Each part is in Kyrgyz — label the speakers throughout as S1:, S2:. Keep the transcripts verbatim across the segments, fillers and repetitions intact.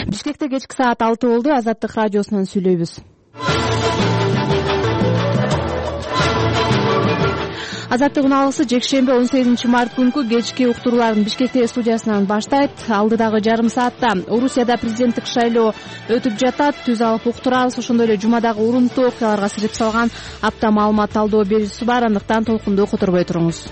S1: Бишкекте кечки саат алты болду. Азаттык радиосунан сүйлөйбүз. Азаттык уналысы жекшемби он сегизинчи март күнкү кечки уктурууларын Бишкек студиясынан баштайт. Алдыдагы жарым саатта Орусияда президенттик шайлоо өтүп жатат. Түз алып уктурабыз. Ошондой эле жумадагы урунтуу окуяларга сирип салган апта маалымат талдоо берүүсү бар. Андыктан толкунду которбой туруңуз.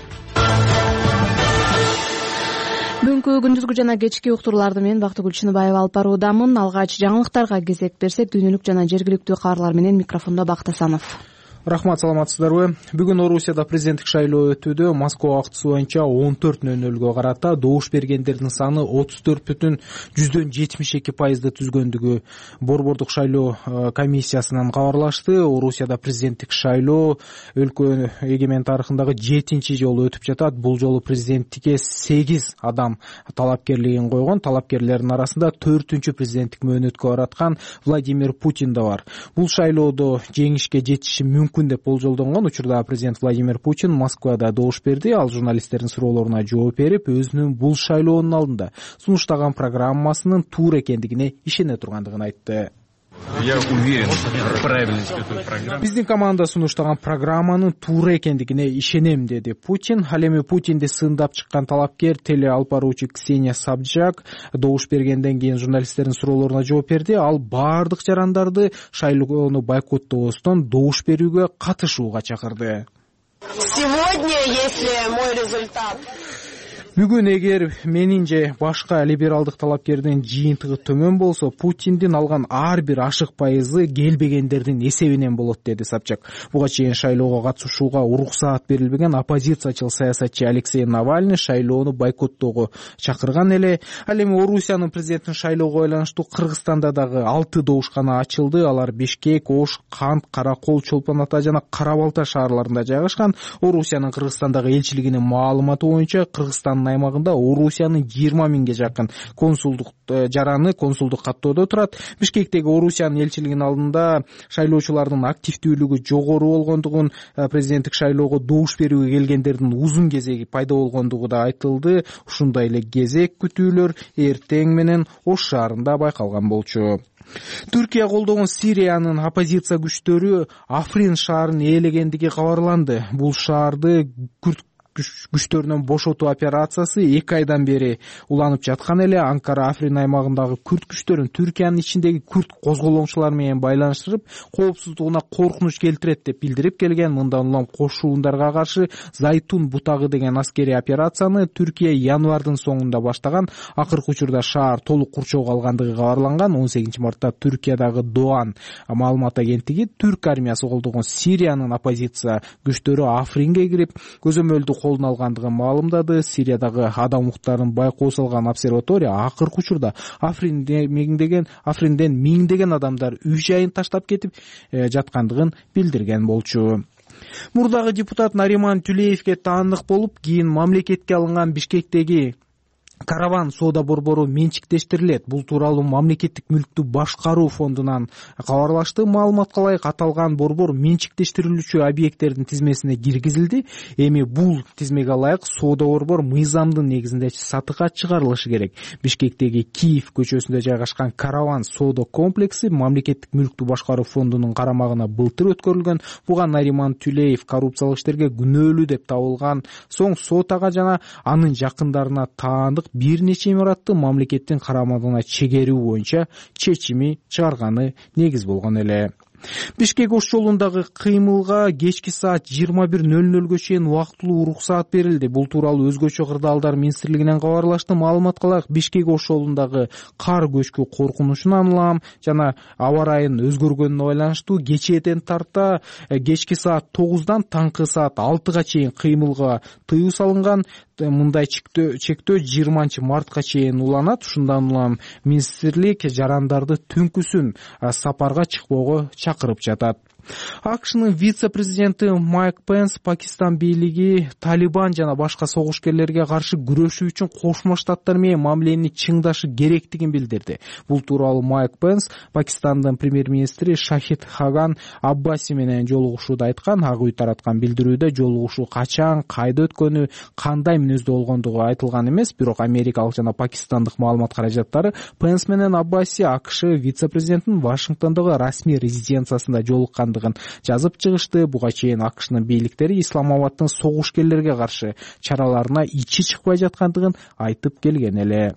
S1: Бүгүнкү күндүзгү жана кечки уктурууларды мен Бактыгүл Чыныбаева алып баруудамын. Алгач жаңылыктарга кезек берсек, дүйнөлүк жана жергиликтүү кабарлар менен микрофондо Бактасанов.
S2: Рахмат, саламатсыздарбы? Бүгүн Орусияда президенттик шайлоо өтүүдө. Москва убактысы боюнча он төрт нөл нөлгө карата добуш бергендердин саны отуз төрт бүтүн жүздөн жетимиш эки пайызды түзгөндүгү Борбордук шайлоо комиссиясынан кабарлашты. Орусияда президенттик шайлоо өлкө эгемен тарыхындагы жетинчи жолу өтүп жатат. Бул жолу президенттикке сегиз адам талапкерлигин койгон. Талапкерлердин арасында төртүнчү президенттик мөөнөткө бараткан Владимир Путин да бар. Бул шайлоодо жеңишке жетиши мүмкүн деп болжолдонгон учурда президент Владимир Путин Москвада добуш берди. Ал журналисттердин суроолоруна жооп берип, өзүнүн бул шайлоонун алдында сунуштаган программасынын туура экендигине ишене тургандыгын айтты.
S3: Я уверен в правильности этой программы.
S2: Биздин команда сунуштаган программанын туура экендигине ишенем, деди Путин. Ал эми Путинди сындап чыккан талапкер теле алып баруучу Ксения Собчак добуш бергенден кийин журналисттердин суроолоруна жооп берди. Ал баардык жарандарды шайлоону бойкоттобостон добуш берүүгө катышууга чакырды.
S4: Сегодня, если мой результат
S2: Бүгүн эгер менин же башка либералдык талапкердин жыйынтыгы төмөн болсо, Путиндин алган ар бир ашык пайызы келбегендердин эсебинен болот, деди Собчак. Буга чейин шайлоого катышууга уруксаат берилбеген оппозициячыл саясатчы Алексей Навальный шайлоону бойкоттоого чакырган эле. Ал эми Орусиянын президенттин шайлоого байланыштуу Кыргызстанда дагы алты добушкана ачылды. Алар Бишкек, Ош, Кант, Каракол, Чолпон Ата жана Кара Балта шаарларында жайгашкан. Орусиянын Кыргызстандагы элчилигинин маалыматы боюнча, Кыргызстан аймагында Орусиянын жыйырма миңге жакын консулдук жараны консулдук каттоодо турат. Бишкектеги Орусиянын элчилигинин алдында шайлоочулардын активдүүлүгү жогору болгондугун, президенттик шайлоого добуш берүүгө келгендердин узун кезеги пайда болгондугу да айтылды. Ушундай эле кезек күтүүлөр эртең менен Ош шаарында байкалган болчу. Түркия колдогон Сириянын оппозиция күчтөрү Африн шаарын ээлегендиги кабарланды. Бул шаарды күрт күчтөрүнөн бошотуу операциясы эки айдан бери уланып жаткан эле. Анкара Африн аймагындагы күрт күчтөрүн Түркиянын ичиндеги күрт козголоңчулар менен байланыштырып, коопсуздугуна коркунуч келтирет деп билдирип келген. Мындан улам кошуундарга каршы Зайтун бутагы деген аскерий операцияны Түркия январдын соңунда баштаган. Акыркы учурда шаар толук курчоого алгандыгы кабарланган. он сегизинчи мартта Түркиядагы Doğan маалымат агенттиги түрк армиясы колдогон Сириянын оппозиция күчтөрү Афринге кирип, көзөмөлдү колдун алгандыгын маалымдады. Сириядагы адам укуктарын байкоо салган обсерватория акыркы учурда Афринден миңдеген Афринден миңдеген адамдар үй жайын таштап кетип жаткандыгын билдирген болчу. Мурдагы депутат Нариман Тюлеевке таандык болуп, кийин мамлекетке алынган Бишкектеги Караван соода борбору менчиктештирилет. Бул тууралуу мамлекеттик мүлктү башкаруу фондунан кабарлашты. Маалыматка ылайык, аталган борбор менчиктештирилүүчү объекттердин тизмесине киргизилди. Эми бул тизмеге ылайык соода борбор мыйзамдын негизинде сатыкка чыгарылышы керек. Бишкектеги Киев көчөсүндө жайгашкан Караван соода комплекси мамлекеттик мүлктү башкаруу фондунун карамагына былтыр өткөрүлгөн. Буга Нариман Тюлеев коррупциялык иштерге күнөөлүү деп табылган соң сот ага жана анын жакындарына таандык бир нече имаратты мамлекеттин карамагына чегерүү боюнча чечими чыгарганы негиз болгон эле. Бишкек Ош жолундагы кыймылга кечки саат жыйырма бир нөл нөлгө чейин убактылуу уруксаат берилди. Бул тууралуу Өзгөчө кырдаалдар министрлигинен кабарлашты. Маалыматка ылайык, Бишкек Ош жолундагы кар көчкү коркунучунан улам жана аба ырайынын өзгөргөнүнө байланыштуу кечээден тарта кечки саат тогуздан таңкы саат алтыга чейин кыймылга тыюу салынган. Мындай чектөө жыйырманчы мартка чейин уланат. Ушундан улам министрлик жарандарды түнкүсүн сапарга чыкпоого чакырып жатат. акшнын вице-президенти Майк Пенс Пакистан бийлиги Талибан жана башка согушкерлерге каршы күрөшүү үчүн Кошмо Штаттар менен мамилени чыңдашы керектигин билдирди. Бул тууралуу Майк Пенс Пакистандын премьер-министри Шахид Хаган Аббаси менен жолугушууда айткан. Ак үй тараткан билдирүүдө жолугушуу качан, кайда өткөнү, кандай мүнөздө болгондугу айтылган эмес, бирок америкалык жана пакистандык маалымат каражаттары Пенс менен Аббаси АКШ вице-президентинин Вашингтондогу расмий резиденциясында жолуккандыгын жазып чыгышты. Буга чейин АКШнын бийликтери Исламабадтын согушкерлерге каршы чараларына ичи чыкпай жаткандыгын айтып келген эле.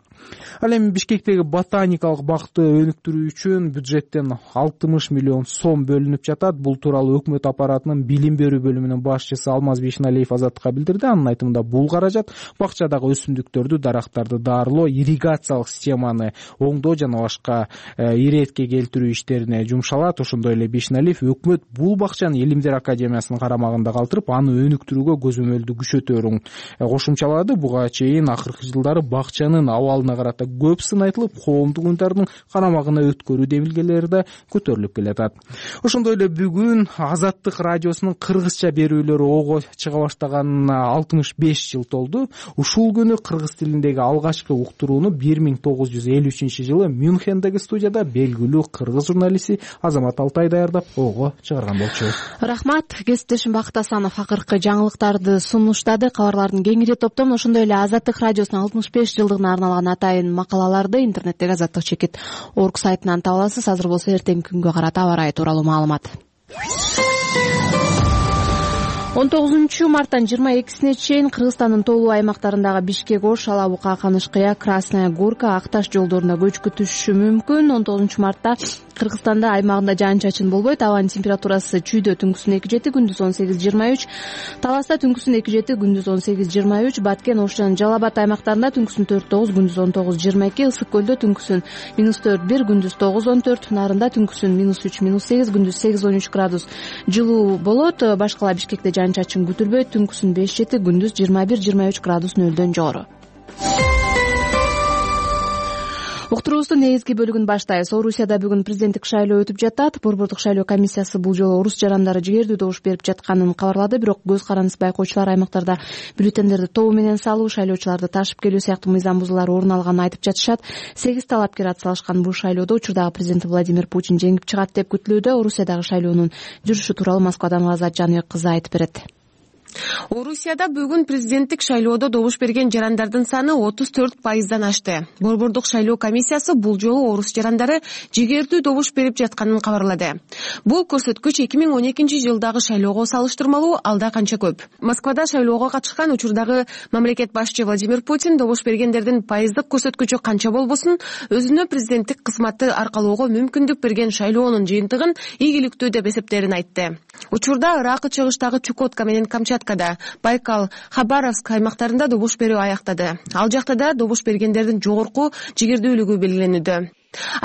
S2: Ал эми Бишкектеги ботаникалык бакты өнүктүрүү үчүн бюджеттен алтымыш миллион сом бөлүнүп жатат. Бул тууралуу өкмөт аппаратынын билим берүү бөлүмүнүн башчысы Алмаз Бишналиев Азаттыкка билдирди. Анын айтымында бул каражат бакчадагы өсүмдүктөрдү, дарактарды даарылоо, ирригациялык системаны оңдоо жана башка иретке келтирүү иштерине жумшалат. Ошондой эле Бишналиев өкмөт бул бакчаны Илимдер академиясынын карамагында калтырып, аны өнүктүрүүгө көзөмөлдү күчөтөөрүн кошумчалады. Буга чейин акыркы жылдары бакчанын абалына карата көп сын айтылып, коомдук уюмдардын карамагына өткөрүү демилгелери да көтөрүлүп келатат. Ошондой эле бүгүн Азаттык радиосунун кыргызча берүүлөрү ого чыга баштаганына алтымыш беш жыл толду. Ушул күнү кыргыз тилиндеги алгачкы уктурууну бир миң тогуз жүз элүү үчүнчү жылы Мюнхендеги студияда белгилүү кыргыз журналисти Азамат Алтай даярдап ого чыгарган болчу.
S1: Рахмат, кесиптешим Бакыт Асанов акыркы жаңылыктарды сунуштады. Кабарлардын кеңири топтомун ошондой эле Азаттык радиосунун алтымыш беш жылдыгына арналган атайын макалаларды интернеттеги азаттык чекит орг сайтынан таба аласыз. Азыр болсо эртеңки күнгө карата аба ырайы тууралуу маалымат. он тогузунчу марттан жыйырма экисине чейин Кыргызстандын тоолуу аймактарындагы Бишкек, Ош, Алабука, Канышкыя, Красная Горка, Акташ жолдоруна көчкү түшүшү мүмкүн. он тогузунчу мартта Кыргызстанда аймагында жаан-чачын болбойт. Абанын температурасы Чүйдө түнкүсүн эки жети, күндүз он сегиз жыйырма үч, Таласта түнкүсүн эки жети, күндүз он сегиз жыйырма үч, Баткен, Ош жана Жалал Абад аймактарында түнкүсүн төрт тогуз, күндүз он тогуз жыйырма эки, Ысык көлдө түнкүсүн минус төрт бир, күндүз тогуз он төрт, Нарында түнкүсүн минус үч минус сегиз, күндүз сегиз он үч градус жылуу болот. Башкала Бишкекте жаан-чачын күтүлбөйт. Түнкүсүн беш жети, күндүз жыйырма бир жыйырма үч градус нөлдөн жогору. Уктуруубуздун негизги бөлүгүн баштайбыз. Орусияда бүгүн президенттик шайлоо өтүп жатат. Борбордук шайлоо комиссиясы бул жолу орус жарандары жигердүү добуш берип жатканын кабарлады. Бирок көз карандысыз байкоочулар аймактарда бюллетендерди тобу менен салуу, шайлоочуларды ташып келүү сыяктуу мыйзам бузуулар орун алганын айтып жатышат. сегиз талапкер атсалышкан бул шайлоодо учурдагы президент Владимир Путин жеңип чыгат деп күтүлүүдө. Орусиядагы шайлоонун жүрүшү тууралуу Москвадан Азат Жаныбек кызы айтып берет.
S5: Орусияда бүгүн президенттик шайлоодо добуш берген жарандардын саны отуз төрт пайыздан ашты. Борбордук шайлоо комиссиясы бул жолу орус жарандары жигердүү добуш берип жатканын кабарлады. Бул көрсөткүч эки миң он экинчи жылдагы шайлоого салыштырмалуу алда канча көп. Москвада шайлоого катышкан учурдагы мамлекет башчы Владимир Путин добуш бергендердин пайыздык көрсөткүчү канча болбосун, өзүнө президенттик кызматты аркалоого мүмкүндүк берген шайлоонун жыйынтыгын ийгиликтүү деп эсептээрин айтты. Учурда Ыракы чыгыштагы Чукотка менен Камчаткада, Байкал, Хабаровск аймактарында добуш берүү аяктады. Ал жакта да добуш бергендердин жогорку жигердүүлүгү белгиленүүдө.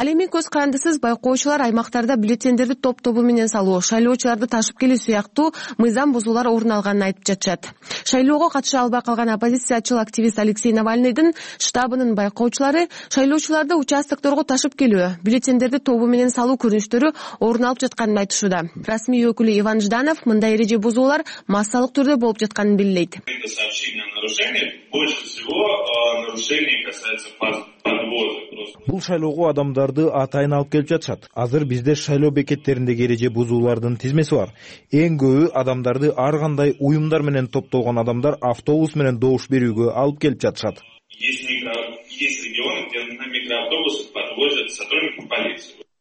S5: Ал эми көз карандысыз байкоочулар аймактарда бюллетендерди топ-тобу менен салуу, шайлоочуларды ташып келүү сыяктуу мыйзам бузуулар орун алганын айтып жатышат. Шайлоого катыша албай калган оппозициячыл активист Алексей Навальныйдын штабынын байкоочулары шайлоочуларды участокторго ташып келүү, бюллетендерди тобу менен салуу көрүнүштөрү орун алып жатканын айтышууда. Расмий өкүлү Иван Жданов мындай эреже бузуулар массалык түрдө болуп жатканын белгилейт.
S6: Бул шайлоого адамдарды атайын алып келип жатышат. Азыр бизде шайлоо бекеттериндеги эреже бузуулардын тизмеси бар. Эң көбү адамдарды ар кандай уюмдар менен топтолгон адамдар автобус менен добуш берүүгө алып келип жатышат.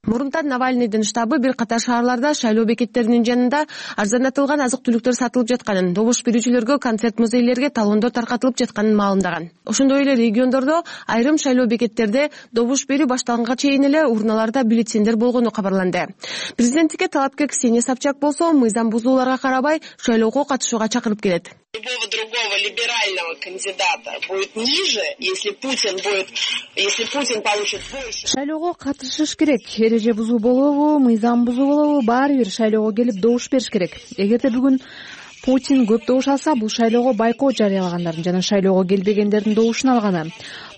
S5: Мурунтан Навальныйдын штабы бир катар шаарларда шайлоо бекеттеринин жанында арзандатылган азык-түлүктөр сатылып жатканын, добуш берүүчүлөргө концерт музейлерге талондор таркатылып жатканын маалымдаган. Ошондой эле региондордо айрым шайлоо бекеттерде добуш берүү башталганга чейин эле урналарда бюллетендер болгону кабарланды. Президенттикке талапкер Ксения Собчак болсо мыйзам бузууларга карабай шайлоого катышууга чакырып келет.
S4: Любого другого либерального кандидата будет ниже, если Путин будет, если Путин получит больше.
S1: Шайлоого катышыш керек. Эреже бузуу болобу, мыйзам бузуу болобу, баары бир шайлоого келип добуш бериш керек. Эгерде бүгүн Путин көп добуш алса, бул шайлоого байкот жарыялагандардын жана шайлоого келбегендердин добушун алганы.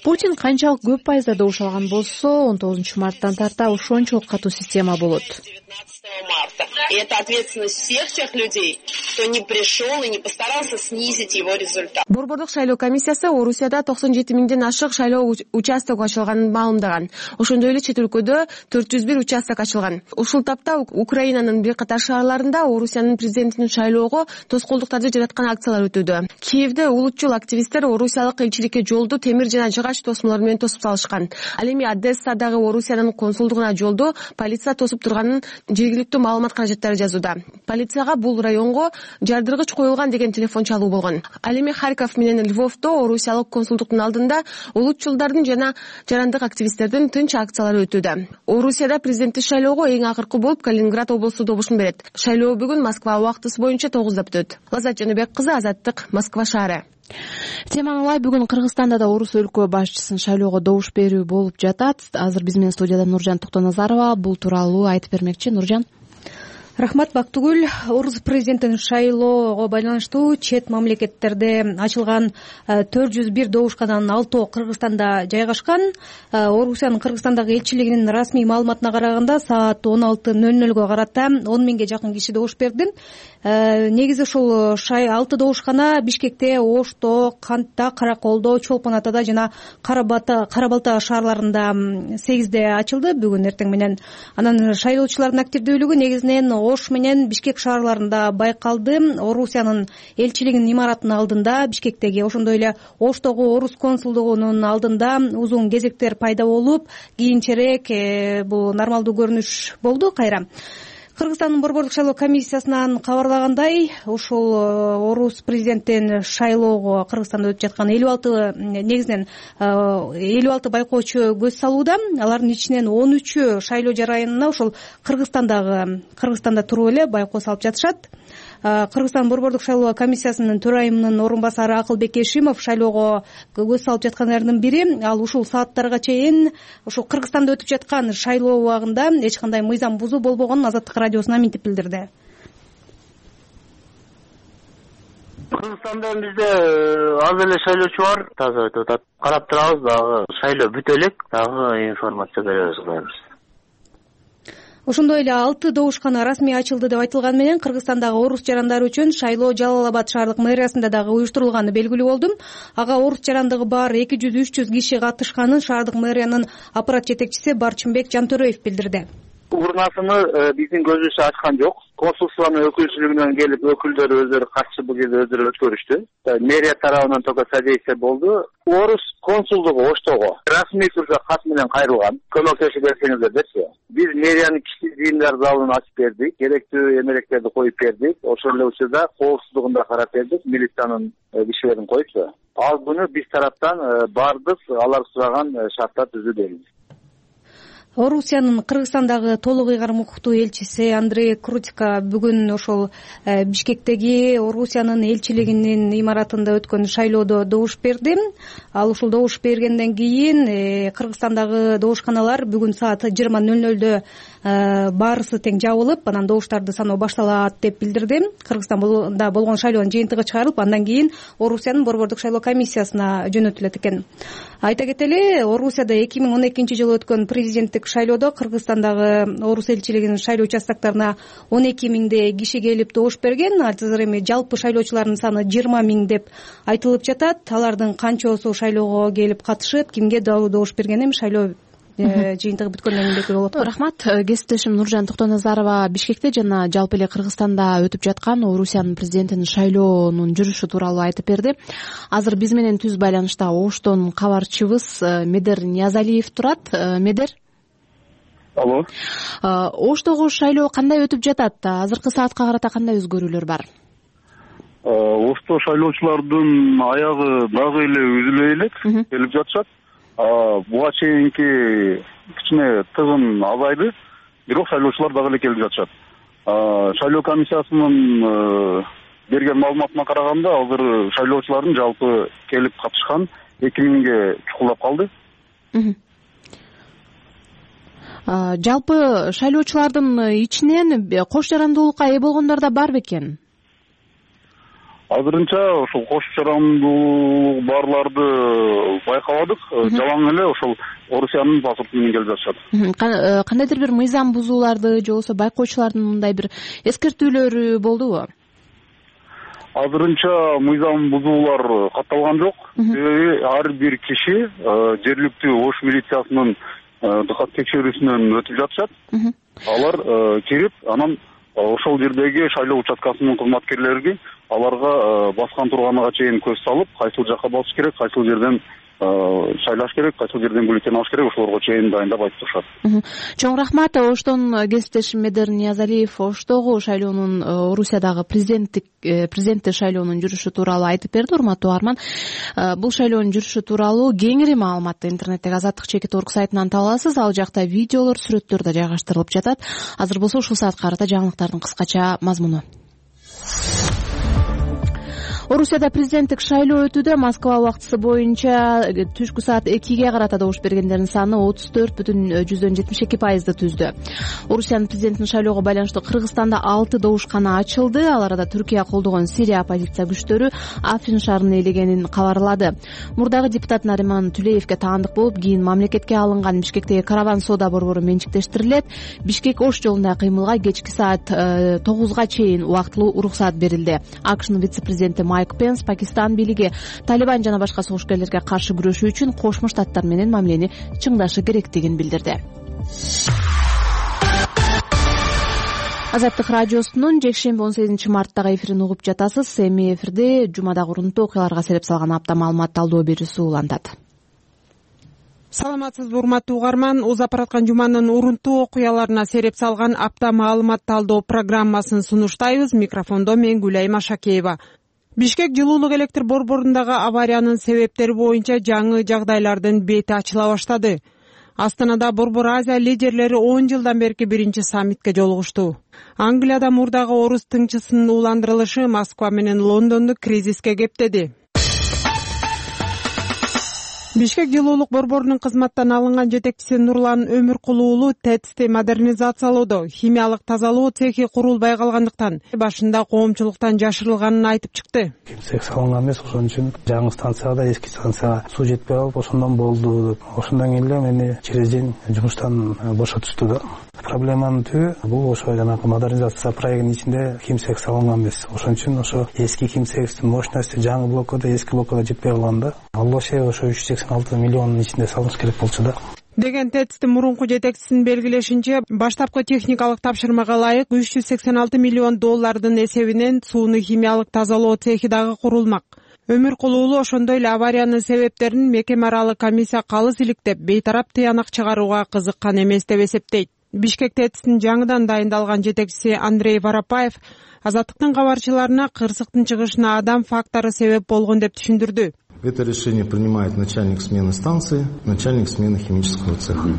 S1: Путин канчалык көп пайызда добуш алган болсо, он тогузунчу марттан тарта ошончолук катуу система болот.
S4: девятнадцатого марта. И это ответственность всех тех людей, кто не пришел и не постарался снизить его результат.
S5: Борбордук шайлоо комиссиясы Орусияда токсон жети миңден ашык шайлоо участок ачылганын маалымдаган. Ошондой эле чет өлкөдө төрт жүз бир участок ачылган. Ушул тапта Украинанын бир катар шаарларында Орусиянын президентинин шайлоого тоскоолдуктарды жараткан акциялар өтүүдө. Киевде улутчул активисттер орусиялык элчиликке жолду темир жана жыгач тосмолор менен тосуп салышкан. Ал эми Одессадагы Орусиянын консулдугуна жолду полиция тосуп турганын жергиликтүү маалымат каражаттары жазууда. Полицияга бул районго жардыргыч коюлган деген телефон чалуу болгон. Ал эми Харьков менен Львовдо Орусиялык консулдуктун алдында улутчулдардын жана жарандык активисттердин тынч акциялары өтүүдө. Орусияда президенттик шайлоого эң акыркы болуп Калининград облусу добушун берет. Шайлоо бүгүн Москва убактысы боюнча тогузда бүтөт. Лазат Жаныбек кызы, Азаттык, Москва шаары.
S1: Теманы улай, бүгүн Кыргызстанда да орус өлкө башчысын шайлоого добуш берүү болуп жатат. Азыр биз менен студияда Нуржан Токтоназарова бул тууралуу айтып бермекчи. Нуржан.
S7: Рахмат, Бактыгүл. Орус президентин шайлоого байланыштуу чет мамлекеттерде ачылган төрт жүз бир добушкананын алтоо Кыргызстанда жайгашкан. Орусиянын Кыргызстандагы элчилигинин расмий маалыматына караганда саат он алты ноль нолго карата он миңге жакын киши добуш берди. Негизи ушул алты добушкана Бишкекте, Ошто, Кантта, Караколдо, Чолпон Атада жана Кара-Балта шаарларында сегизде ачылды бүгүн эртең менен. Анан шайлоочулардын активдүүлүгү негизинен Ош менен Бишкек шаарларында байкалды. Орусиянын элчилигинин имаратынын алдында, Бишкектеги, ошондой эле Оштогу орус консулдугунун алдында узун кезектер пайда болуп, кийинчерээк бул нормалдуу көрүнүш болду кайра. Кыргызстандын борбордук шайлоо комиссиясынан кабарлагандай, ушул орус президенттин шайлоого Кыргызстанда өтүп жаткан элүү алты негизинен элүү алты байкоочу көз салууда. Алардын ичинен он үчү шайлоо жарайына ушул Кыргызстандагы Кыргызстанда туруп эле байкоо салып жатышат. Кыргызстан борбордук шайлоо комиссиясынын төрайымынын орун басары Акылбек Эшимов шайлоого көз салып жаткандардын бири. Ал ушул сааттарга чейин ушул Кыргызстанда өтүп жаткан шайлоо убагында эч кандай мыйзам бузуу болбогонун Азаттык радиосуна минтип билдирди.
S8: Кыргызстанда бизде аз эле шайлоочу бар, таза өтүп атат. Карап турабыз, дагы шайлоо бүтө элек, дагы информация беребиз кылабыз.
S7: Ошондой эле алты добушкана расмий ачылды деп айтылган менен Кыргызстандагы орус жарандары үчүн шайлоо Жалал Абад шаардык мэриясында дагы уюштурулганы белгилүү болду. Ага орус жарандыгы бар эки жүз үч жүз киши катышканын шаардык мэриянын аппарат жетекчиси Барчынбек Жантөрөев билдирди.
S8: Урнасыны биздин көзүбүз ачкан жок. Консулствонун өкүлчүлүгүнөн келип өкүлдөр өздөрү катышып бул жерде өздөрү өткөрүштү. Мэрия тарабынан только содействие болду. Орус консулдугу Оштого расмий түрдө кат менен кайрылган. Көмөктөшүп берсеңиздер депчи. Биз мэриянын кичи жыйындар залын ачып бердик, керектүү эмеректерди коюп бердик. Ошол эле учурда коопсуздугун да карап бердик, милициянын кишилерин коюпчу. Ал күнү биз тараптан бардык, алар сураган шарттар түзүлдү.
S7: Орусиянын Кыргызстандагы толук ыйгарым укуктуу элчиси Андрей Крутика бүгүн ошол Бишкектеги Орусиянын элчилигинин имаратында өткөн шайлоодо добуш берди. Ал ушул добуш бергенден кийин Кыргызстандагы добушканалар бүгүн саат жыйырма ноль нольдо баарысы тең жабылып, анан добуштарды саноо башталат деп билдирди. Кыргызстанда болгон шайлоонун жыйынтыгы чыгарылып, андан кийин Орусиянын борбордук шайлоо комиссиясына жөнөтүлөт экен. Айта кетели, Орусияда эки миң он экинчи жылы өткөн президенттик шайлоодо Кыргызстандагы орус элчилигинин шайлоо участокторуна он эки миңдей киши келип добуш берген. Азыр эми жалпы шайлоочулардын саны жыйырма миң деп айтылып жатат. Алардын канчоосу шайлоого келип катышып, кимге добуш берген эми шайлоо жыйынтыгы бүткөндөн кийин белгилүү болот.
S1: Рахмат. Кесиптешим Нуржан Токтоназарова Бишкекте жана жалпы эле Кыргызстанда өтүп жаткан Орусиянын президентинин шайлоонун жүрүшү тууралуу айтып берди. Азыр биз менен түз байланышта Оштон кабарчыбыз Медер Ниязалиев турат. Медер.
S9: Алло.
S1: Оштогу шайлоо кандай өтүп жатат? Азыркы саатка карата кандай өзгөрүүлөр бар?
S9: Ошто шайлоочулардын аягы дагы эле үзүлбөй элек келип жатышат. Буга чейинки кичине тыгын азайды, бирок шайлоочулар дагы эле келип жатышат. Шайлоо комиссиясынын берген маалыматына караганда, азыр шайлоочулардын жалпы келип катышкан эки миңге чукулдап калды.
S1: Жалпы шайлоочулардын ичинен кош жарандуулукка ээ болгондор да бар бекен?
S9: азырынча ошол кош жарандуу барларды байкабадык. Жалаң эле ошол Орусиянын паспорту менен келип жатышат.
S1: Кандайдыр бир мыйзам бузууларды же болбосо байкоочулардын мындай бир эскертүүлөрү болдубу?
S9: Азырынча мыйзам бузуулар катталган жок. Себеби ар бир киши жергиликтүү Ош милициясынын дыкат текшерүүсүнөн өтүп жатышат. Алар кирип, анан ошол жердеги шайлоо участкасынын кызматкерлери аларга баскан турганага чейин көз салып, кайсыл жакка басыш керек, кайсыл жерден шайлаш керек, кайсыл жерден бюллетень алыш керек, ошолорго чейин дайындап айтып турушат.
S1: Чоң рахмат. Оштон кесиптешим Медер Ниязалиев Оштогу шайлоонун Орусиядагы президенттик президенттик шайлоонун жүрүшү тууралуу айтып берди. Урматтуу угарман, бул шайлоонун жүрүшү тууралуу кеңири маалыматты интернеттеги Азаттык чекит орг сайтынан таба аласыз. Ал жакта видеолор, сүрөттөр да жайгаштырылып жатат. Азыр болсо ушул саатка карата жаңылыктардын кыскача мазмуну. Орусияда президенттик шайлоо өтүүдө. Москва убактысы боюнча түшкү саат экиге карата добуш бергендердин саны отуз төрт бүтүн жүздөн жетимиш эки пайызды түздү. Орусиянын президентин шайлоого байланыштуу Кыргызстанда алты добушкана ачылды. Ал арада Түркия колдогон Сирия оппозиция күчтөрү Африн шаарын ээлегенин кабарлады. Мурдагы депутат Нариман Түлеевге таандык болуп, кийин мамлекетке алынган Бишкектеги караван соода борбору менчиктештирилет. Бишкек Ош жолундагы кыймылга кечки саат тогузга чейин убактылуу уруксаат берилди. АКШнын вице-президенти Майк Пенс Пакистан бийлиги Талибан жана башка согушкерлерге каршы күрөшүү үчүн Кошмо Штаттар менен мамилени чыңдашы керектигин билдирди. Азаттык радиосунун жекшемби он сегизинчи марттагы эфирин угуп жатасыз. Эми эфирде жумадагы урунттуу окуяларга сереп салган апта маалымат талдоо берүүсү улантат.
S10: Саламатсызбы, урматтуу угарман. Узап бараткан жуманын урунттуу окуяларына сереп салган апта маалымат талдоо программасын сунуштайбыз. Микрофондо мен Гүлайма Шакеева. Бишкек жылуулук электр борборундагы авариянын себептери боюнча жаңы жагдайлардын бети ачыла баштады. Астанада Борбор Азия лидерлери он жылдан берки биринчи саммитке жолугушту. Англияда мурдагы орус тыңчысынын уландырылышы Москва менен Лондонду кризиске кептеди. Бишкек жылуулук борборунун кызматтан алынган жетекчиси Нурлан Өмүркулуу уулу ТЭЦти модернизациялоодо химиялык тазалоо цехи курулбай калгандыктан башында коомчулуктан жашырылганын айтып чыкты.
S11: Цех салынган эмес, ошон үчүн жаңы станцияда эски станцияга суу жетпей калып, ошондон болду. Ошондон кийин эле мени через день жумуштан бошотушту да. Проблеманын түбү бул ошо жанагы модернизация проектинин ичинде химцех салынган эмес. Ошон үчүн ошо эски химцехтин мощности жаңы блоккада, эски блоккада жетпей калганда, ал ошо ошо үч жүз сексен алты миллиондун ичинде салыныш керек болчу да.
S10: Деген ТЭЦтин мурунку жетекчисинин белгилешинче, баштапкы техникалык тапшырмага ылайык үч жүз сексен алты миллион доллардын эсебинен сууну химиялык тазалоо цехи дагы курулмак. Өмүркулуу уулу ошондой эле авариянын себептерин мекеме аралык комиссия калыс иликтеп, бейтарап тыянак чыгарууга кызыккан эмес деп эсептейт. Бишкек ТЭЦтин жаңыдан дайындалган жетекчиси Андрей Воропаев Азаттыктын кабарчыларына кырсыктын чыгышына адам фактору себеп болгон деп түшүндүрдү.
S12: Это решение принимает начальник смены станции, начальник смены химического цеха.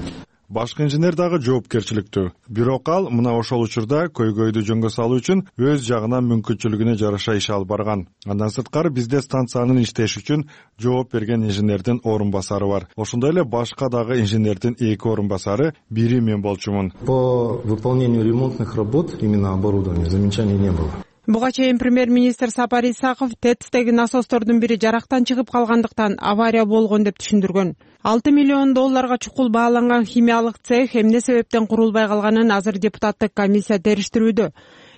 S13: Башкы инженер дагы жоопкерчиликтүү. Бирок ал мына ошол учурда көйгөйдү жөнгө салуу үчүн өз жагынан мүмкүнчүлүгүнө жараша иш алып барган. Андан сырткары бизде станциянын иштеши үчүн жооп берген инженердин орун басары бар. Ошондой эле башка дагы инженердин эки орун басары, бири мен болчумун.
S12: По выполнению ремонтных работ именно оборудования замечаний не было.
S10: Буга чейин премьер-министр Сапар Исаков ТЭЦтеги насостордун бири жарактан чыгып калгандыктан авария болгон деп түшүндүргөн. алты миллион долларга чукул бааланган химиялык цех эмне себептен курулбай калганын азыр депутаттык комиссия териштирүүдө.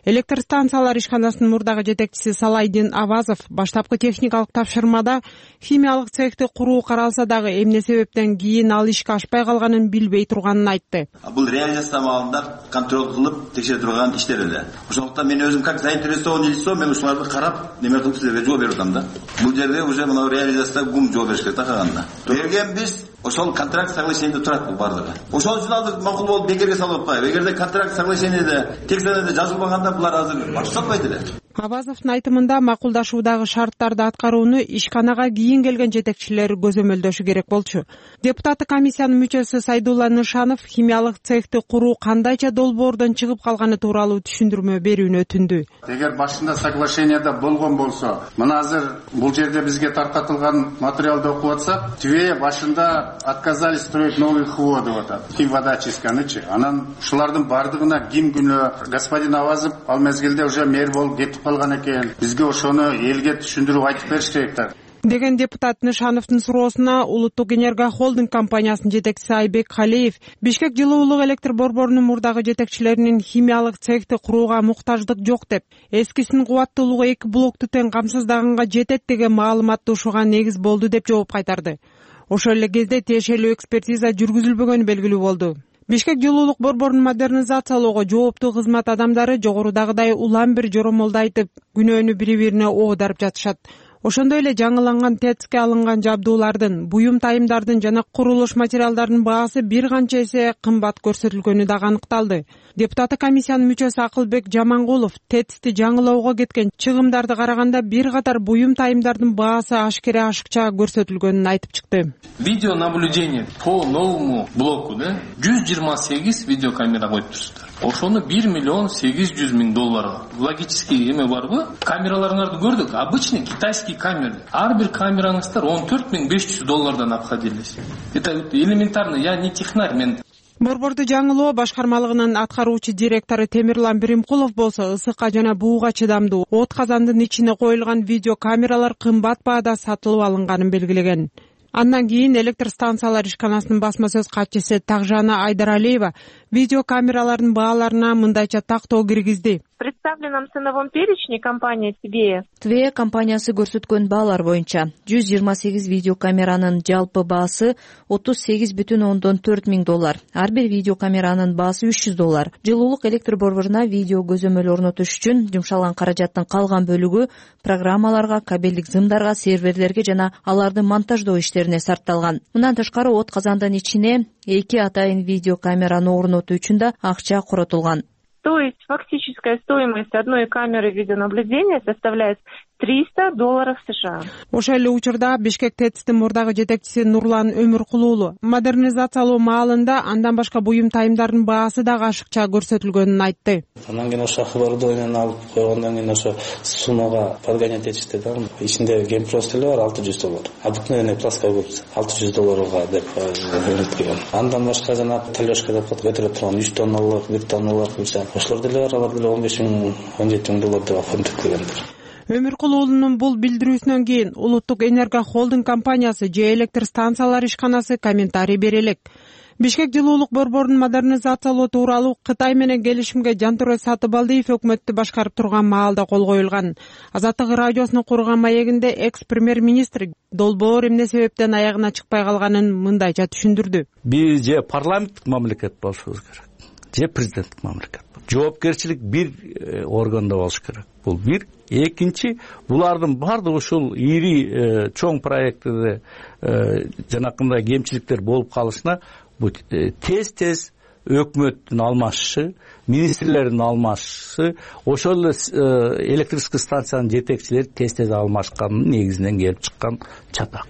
S10: Электр станциялар ишканасынын мурдагы жетекчиси Салайдин Авазов баштапкы техникалык тапшырмада химиялык цехти куруу каралса дагы эмне себептен кийин ал ишке ашпай калганын билбей турганын айтты.
S14: Бул реализация абалында контроль кылып текшере турган иштер эле. Ошондуктан мен өзүм как заинтересованный лицо, мен ушуларды карап неме кылып силерге жооп берип атам да. Бул жерде уже мына реализацияда гум жооп бериш керек да калганда. Бергенбиз ошол контракт соглашениеде турат бул бардыгы. Ошол үчүн алды макул болуп бекерге салып атпайбы. Эгерде контракт соглашениеде текстенде жазылбаганда булар азыр башталбайт эле.
S10: Абазовдун айтымында макулдашуудагы шарттарды аткарууну ишканага кийин келген жетекчилер көзөмөлдөшү керек болчу. Депутаттык комиссиянын мүчөсү Сайдулла Нышанов химиялык цехти куруу кандайча долбоордон чыгып калганы тууралуу түшүндүрмө берүүнү өтүндү.
S15: Эгер башында соглашениеде болгон болсо, мына азыр бул жерде бизге таркатылган материалды окуп атсак, тивее башында отказались строить новый хводы вот это, химводочистканычы. Анан ушулардын бардыгына ким күнөө господин Авазов ал мезгилде уже мэр болуп кетип кетип калган экен. Бизге ошону элге түшүндүрүп айтып бериш керек да
S10: деген депутат Нышановдун суроосуна Улуттук Энерго Холдинг компаниясынын жетекчиси Айбек Калиев Бишкек жылуулук электр борборунун мурдагы жетекчилеринин химиялык цехти курууга муктаждык жок деп, эскисинин кубаттуулугу эки блокту тең камсыздаганга жетет деген маалыматты ушуга негиз болду деп жооп кайтарды. Ошол эле кезде тиешелүү экспертиза жүргүзүлбөгөнү белгилүү болду. Бишкек жылуулук борборун модернизациялоого жооптуу кызмат адамдары жогорудагыдай улам бир жоромолду айтып, күнөөнү бири-бирине оодарып жатышат. Ошондой эле жаңыланган ТЭЦке алынган жабдуулардын, буюм тайымдардын жана курулуш материалдарынын баасы бир канча эсе кымбат көрсөтүлгөнү дагы аныкталды. Депутаттык комиссиянын мүчөсү Акылбек Жамангулов ТЭЦти жаңылоого кеткен чыгымдарды караганда бир катар буюм тайымдардын баасы ашкере ашыкча көрсөтүлгөнүн айтып чыкты.
S3: Видеонаблюдение по новому блоку, да, жүз жыйырма сегиз видеокамера коюп турсуздар. Ошону бир миллион сегиз жүз миң долларга. Логический эме барбы? Камераларыңарды көрдүк. Обычный китайский камера. Ар бир камераңыздар он төрт миң беш жүз доллардан обходились. Это элементарно. Я не технарь, мен.
S10: Борборду жаңылоо башкармалыгынын аткаруучу директору Темирлан Биримкулов болсо ысыкка жана бууга чыдамдуу от казандын ичине коюлган видеокамералар кымбат баада сатылып алынганын белгилеген. Андан кийин электр станциялар ишканасынын басма сөз катчысы Тагжана Айдаралиева видеокамералардын бааларына мындайча тактоо киргизди.
S16: В представленном ценовом перечне компания ТВЕ
S17: ТВЕ компаниясы көрсөткөн баалар боюнча жүз жыйырма сегиз видеокамеранын жалпы баасы отуз сегиз бүтүн ондон төрт миң доллар. Ар бир видеокамеранын баасы үч жүз доллар. Жылуулук электр борборуна видео көзөмөл орнотуш үчүн жумшалган каражаттын калган бөлүгү программаларга, кабелдик зымдарга, серверлерге жана аларды монтаждоо иштерине сарпталган. Мындан тышкары от казандын ичине эки атайын видеокамераны орнотуу үчүн да акча коротулган.
S16: То есть фактическая стоимость одной камеры видеонаблюдения составляет триста долларов США.
S10: Ошол эле учурда Бишкек ТЭЦтин мурдагы жетекчиси Нурлан Өмүркулуулу модернизациялоо маалында андан башка буюм тайымдардын баасы дагы ашыкча көрсөтүлгөнүн айтты.
S11: Андан кийин ошо оборудованияны алып койгондон кийин ошо суммага подгонять этишти да. Ичинде гемпрост эле бар алты жүз доллар. Обыкновенный плоская губка алты жүз долларга деп өткөргөн. Андан башка жана талёшка деп көтөрө турган үч тонналык, бир тонналык болсо ошолор деле бар, алар деле он беш миң он жети миң доллар деп оформдуккендер.
S10: Өмүркулуулунун бул билдирүүсүнөн кийин Улуттук Энерго Холдинг компаниясы же электр станциялар ишканасы комментарий бере элек. Бишкек жылуулук борборун модернизациялоо тууралуу Кытай менен келишимге Жантүрө Сатыбалдиев өкмөттү башкарып турган маалда кол коюлган. Азаттык радиосуна курган маегинде экс-премьер-министр долбоор эмне себептен аягына чыкпай калганын мындайча түшүндүрдү.
S18: Биз же парламенттик мамлекет болушубуз керек, же президенттик мамлекет. Жоопкерчилик бир органда болуш керек. Бул бир. Экинчи, булардын баардыгы ушул ири чоң проекттерде жанакындай кемчиликтер болуп калышына тез-тез өкмөттүн алмашышы, министрлердин алмашышы, ошол эле электрический станциянын жетекчилери тез-тез алмашкандын негизинен келип чыккан чатак.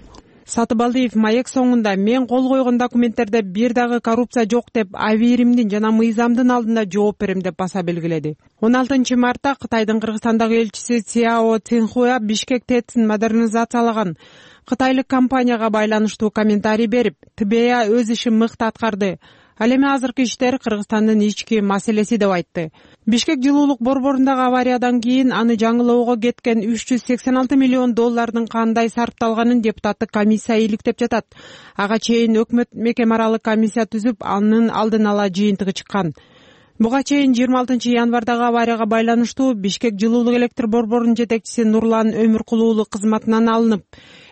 S10: Сатыбалдиев маек соңунда мен кол койгон документтерде бир дагы коррупция жок деп Авиримдин жана мыйзамдын алдында жооп берем деп баса белгиледи. он алтынчы мартта Кытайдын Кыргызстандагы элчиси Цяо Цинхуа Бишкек ТЭЦин модернизациялаган кытайлык компанияга байланыштуу комментарий берип, ТБА өз ишин мыкты аткарды. Ал эми азыркы иштер Кыргызстандын ички маселеси деп айтты. Бишкек жылуулук борборундагы авариядан кийин аны жаңылоого кеткен үч жүз сексен алты миллион доллардын кандай сарпталганын депутаттык комиссия иликтеп жатат. Ага чейин өкмөт мекеме аралык комиссия түзүп, анын алдын ала жыйынтыгы чыккан. Буга чейин жыйырма алтынчы январдагы аварияга байланыштуу Бишкек жылуулук электр борборунун жетекчиси Нурлан Өмүркулуулу кызматынан алынып,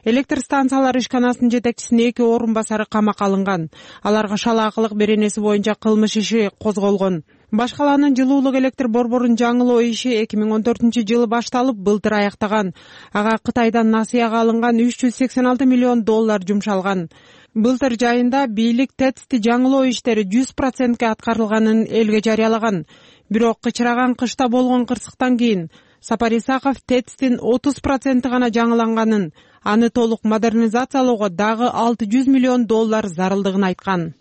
S10: электр станциялар ишканасынын жетекчисинин эки орун басары камакка алынган. Аларга шалаакылык беренеси боюнча кылмыш иши козголгон. Башкаланын жылуулук электр борборун жаңылоо иши эки миң он төртүнчү жылы башталып, былтыр аяктаган. Ага Кытайдан насыяга алынган үч жүз сексен алты миллион доллар жумшалган. Былтыр жайында бийлик ТЭЦти жаңылоо иштери жүз процентке аткарылганын элге жарыялаган. Бирок кычыраган кышта болгон кырсыктан кийин Сапар Исаков ТЭЦтин отуз проценти гана жаңыланганын, аны толук модернизациялоого дагы алты жүз миллион доллар зарылдыгын айткан.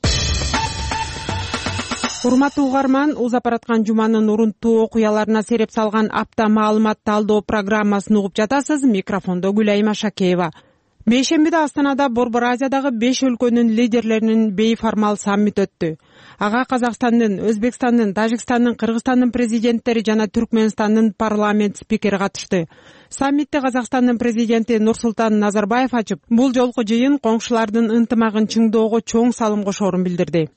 S10: Урматтуу угарман, узап бараткан жуманын урунттуу окуяларына сереп салган апта маалымат талдоо программасын угуп жатасыз. Микрофондо Гүлайым Ашакеева. бейшембиде Астанада Борбор Азиядагы беш өлкөнүн лидерлеринин бейформал саммити өттү. Ага Казакстандын, Өзбекстандын, Тажикстандын, Кыргызстандын президенттери жана Түркмөнстандын парламент спикери катышты. Саммитти Казакстандын президенти Нурсултан Назарбаев ачып, бул жолку жыйын коңшулардын ынтымагын чыңдоого чоң салым кошоорун билдирди.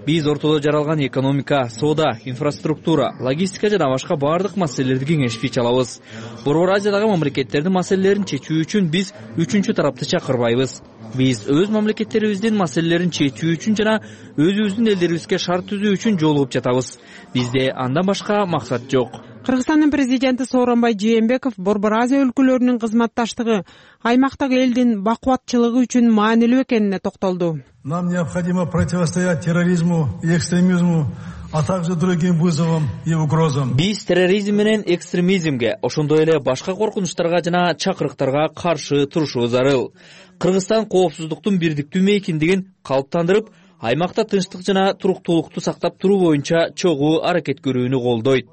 S19: Биз ортодо жаралган экономика, соода, инфраструктура, логистика жана башка бардык маселелерди кеңешпей алабыз. Борбор Азиядагы мамлекеттердин маселелерин чечүү үчүн биз үчүнчү тарапты чакырбайбыз. Биз өз мамлекеттерибиздин маселелерин чечүү үчүн жана өзүбүздүн элдерибизге шарт түзүү үчүн жолугуп жатабыз. Бизде андан башка максат жок.
S10: Кыргызстандын президенти Сооронбай Жээнбеков Борбор Азия өлкөлөрүнүн кызматташтыгы аймактагы элдин бакубатчылыгы үчүн маанилүү экенине токтолду.
S20: Нам необходимо противостоять терроризму и экстремизму, а также другим вызовам и угрозам.
S19: Биз терроризм менен экстремизмге, ошондой эле башка коркунучтарга жана чакырыктарга каршы турушубуз зарыл. Кыргызстан коопсуздуктун бирдиктүү мейкиндигин калыптандырып, аймакта тынчтык жана туруктуулукту сактап туруу боюнча чогуу аракет көрүүнү колдойт.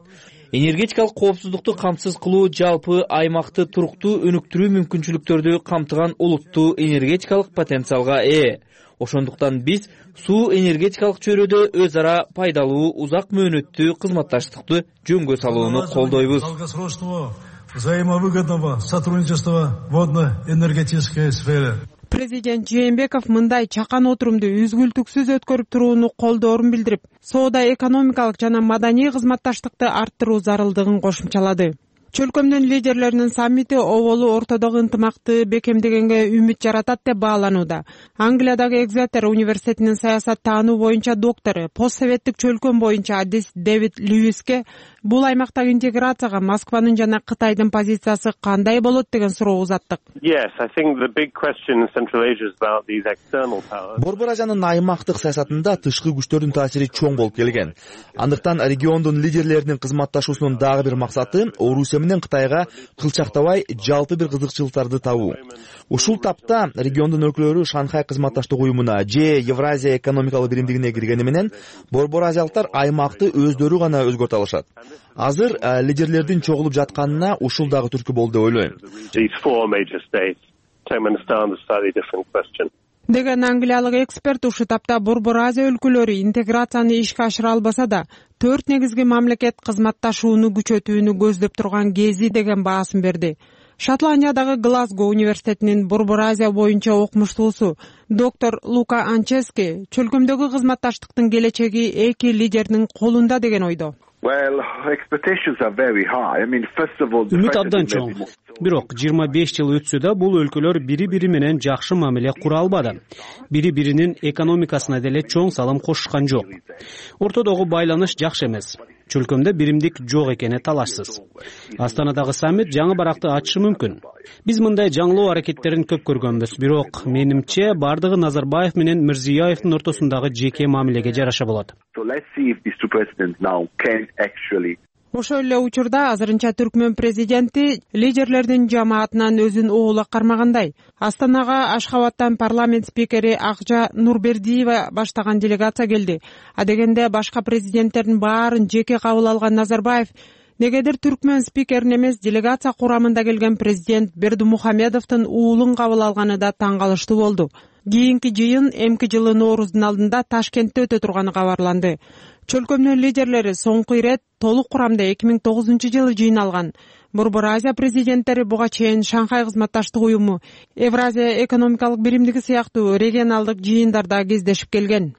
S19: Энергетикалык коопсуздукту камсыз кылуу жалпы аймакты туруктуу өнүктүрүү мүмкүнчүлүктөрдү камтыган улуттуу энергетикалык потенциалга ээ. Ошондуктан биз суу энергетикалык чөйрөдө өз ара пайдалуу узак мөөнөттүү кызматташтыкты жөнгө салууну колдойбуз.
S20: Долгосрочного взаимовыгодного сотрудничества в водно-энергетической сфере.
S10: Президент Жээнбеков мындай чакан отурумду үзгүлтүксүз өткөрүп турууну колдоорун билдирип, соода, экономикалык жана маданий кызматташтыкты арттыруу зарылдыгын кошумчалады. Чөлкөмдүн лидерлеринин саммити оболу ортодогу ынтымакты бекемдегенге үмүт жаратат деп бааланууда. Англиядагы Экзетер университетинин саясат таануу боюнча доктору, постсоветтик чөлкөм боюнча адис Дэвид Льюиске бул аймактагы интеграцияга Москванын жана Кытайдын позициясы кандай болот деген суроо узаттык.
S21: Борбор Азиянын аймактык саясатында тышкы күчтөрдүн таасири чоң болуп келген. Андыктан региондун лидерлеринин кызматташуусунун дагы бир максаты Орусия менен Кытайга кылчактабай жалпы бир кызыкчылыктарды табуу. Ушул тапта региондун өлкөлөрү Шанхай кызматташтык уюмуна же Евразия экономикалык биримдигине киргени менен Борбор Азиялыктар аймакты өздөрү гана өзгөртө алышат. Азыр лидерлердин чогулуп жатканына ушул дагы түрткү болду деп ойлойм.
S10: Деген англиялык эксперт ушул тапта Борбор Азия өлкөлөрү интеграцияны ишке ашыра албаса да, төрт негизги мамлекет кызматташууну күчөтүүнү көздөп турган кези деген баасын берди. Шотландиядагы Глазго университетинин Борбор Азия боюнча окумуштуусу доктор Лука Анчески чөлкөмдөгү кызматташтыктын келечеги эки лидердин колунда деген ойдо.
S22: Үмүт абдан чоң. Бирок жыйырма беш жыл өтсө да бул өлкөлөр бири-бири менен жакшы мамиле кура албады. Бири-биринин экономикасына деле чоң салым кошушкан жок. Ортодогу байланыш жакшы эмес. Чөлкөмдө биримдик жок экени талашсыз. Астанадагы саммит жаңы баракты ачышы мүмкүн. Биз мындай жаңылоо аракеттерин көп көргөнбүз, бирок менимче бардыгы Назарбаев менен Мирзиёевдин ортосундагы жеке мамилеге жараша болот.
S10: Ошол эле учурда азырынча Түркмөн президенти лидерлердин жамаатынан өзүн оола кармагандай. Астанага Ашхабадтан парламент спикери Акжа Нурбердиева баштаган делегация келди. А дегенде башка президенттердин баарын жеке кабыл алган Назарбаев негедир Түркмөн спикерин эмес, делегация курамында келген президент Бердимухамедовдун уулун кабыл алганы да таң калыштуу болду. Кийинки жыйын эмки жылы Нооруздун алдында Ташкентте өтө турганы кабарланды. Чөлкөмдүн лидерлери соңку ирет толук курамда эки миң тогузунчу жылы жыйналган. Борбор Азия президенттери буга чейин Шанхай кызматташтык уюму, Евразия экономикалык биримдиги сыяктуу регионалдык жыйындарда кездешип келген.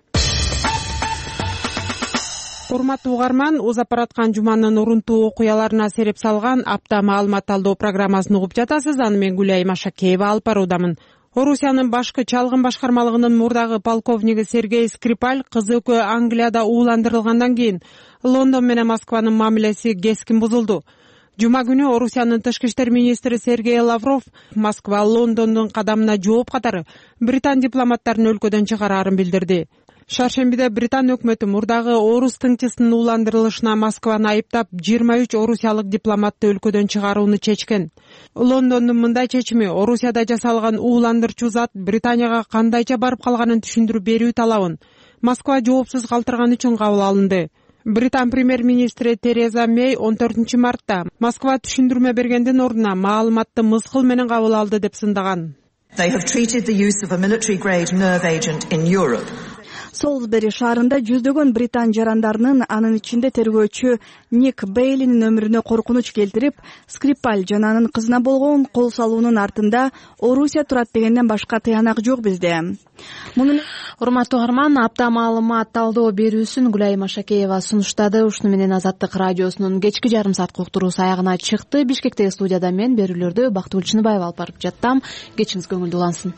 S10: Урматтуу угарман, узап бараткан жуманын урунтуу окуяларына сереп салган апта маалымат талдоо программасын угуп жатасыз. Аны мен Гүлайым Ашакеева алып баруудамын. Орусиянын башкы чалгын башкармалыгынын мурдагы полковниги Сергей Скрипаль кызы экөө Англияда ууландырылгандан кийин Лондон менен Москванын мамилеси кескин бузулду. Жума күнү Орусиянын тышкы иштер министри Сергей Лавров Москва Лондондун кадамына жооп катары Британ дипломаттарын өлкөдөн чыгарарын билдирди. Шаршембиде Британ өкмөтү мурдагы орус тыңчысынын ууландырылышына Москваны айыптап жыйырма үч орусиялык дипломатты өлкөдөн чыгарууну чечкен. Лондондун мындай чечими Орусияда жасалган ууландырчу зат Британияга кандайча барып калганын түшүндүрүп берүү талабын Москва жоопсуз калтырган үчүн кабыл алынды. британ премьер-министри Тереза Мэй он төртүнчү мартта Москва түшүндүрмө бергендин ордуна маалыматты мыскыл менен кабыл алды деп сындаган.
S2: Солсбери шаарында жүздөгөн британ жарандарынын, анын ичинде тергөөчү Ник Бейлинин өмүрүнө коркунуч келтирип, Скрипаль жана анын кызына болгон кол салуунун артында Орусия турат дегенден башка тыянак жок бизде.
S1: Муну урматтуу угарман, апта маалымат талдоо берүүсүн Гүлайым Ашакеева сунуштады. Ушуну менен Азаттык радиосунун кечки жарым саат уктуруусу аягына чыкты. Бишкектеги студияда мен берүүлөрдү Бактыгүл Чыныбаева алып барып жаттам. Кечиңиз көңүлдүү улансын.